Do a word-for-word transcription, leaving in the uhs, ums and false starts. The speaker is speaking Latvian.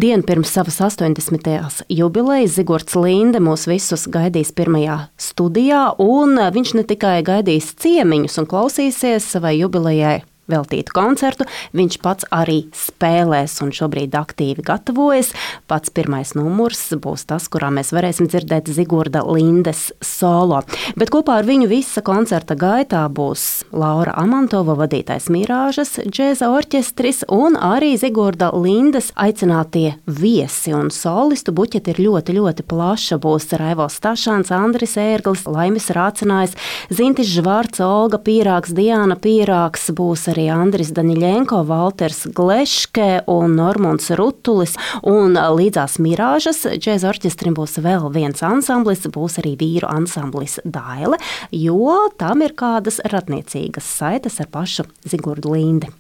Dienu pirms savas astoņdesmitās jubilejas Zigorts Linde mūs visus gaidīs pirmajā studijā, un viņš ne tikai gaidīs ciemiņus un klausīsies savai jubilejai veltītu koncertu, viņš pats arī spēlēs un šobrīd aktīvi gatavojas. Pats pirmais numurs būs tas, kurā mēs varēsim dzirdēt Zigorda Lindes solo. Bet kopā ar viņu visa koncerta gaitā būs Laura Amantova vadītais Mirāžas džēza orķestris un arī Zigorda Lindes aicinātie viesi. Un solistu buķeti ir ļoti, ļoti plaša. Būs Raivos Stašāns, Andris Ērglis, Laimis Rācinājs, Zintis Žvarts, Olga Pīrāgs, Diāna Pīrāgs, būs arī Andris Daņļenko, Valters Gleške un Normunds Rutulis. Un līdzās Mirāžas džēza orķestrim būs vēl viens ansamblis, būs arī vīru ansamblis Daile, jo tam ir kādas radniecīgas saites ar pašu Zigordu Lindi.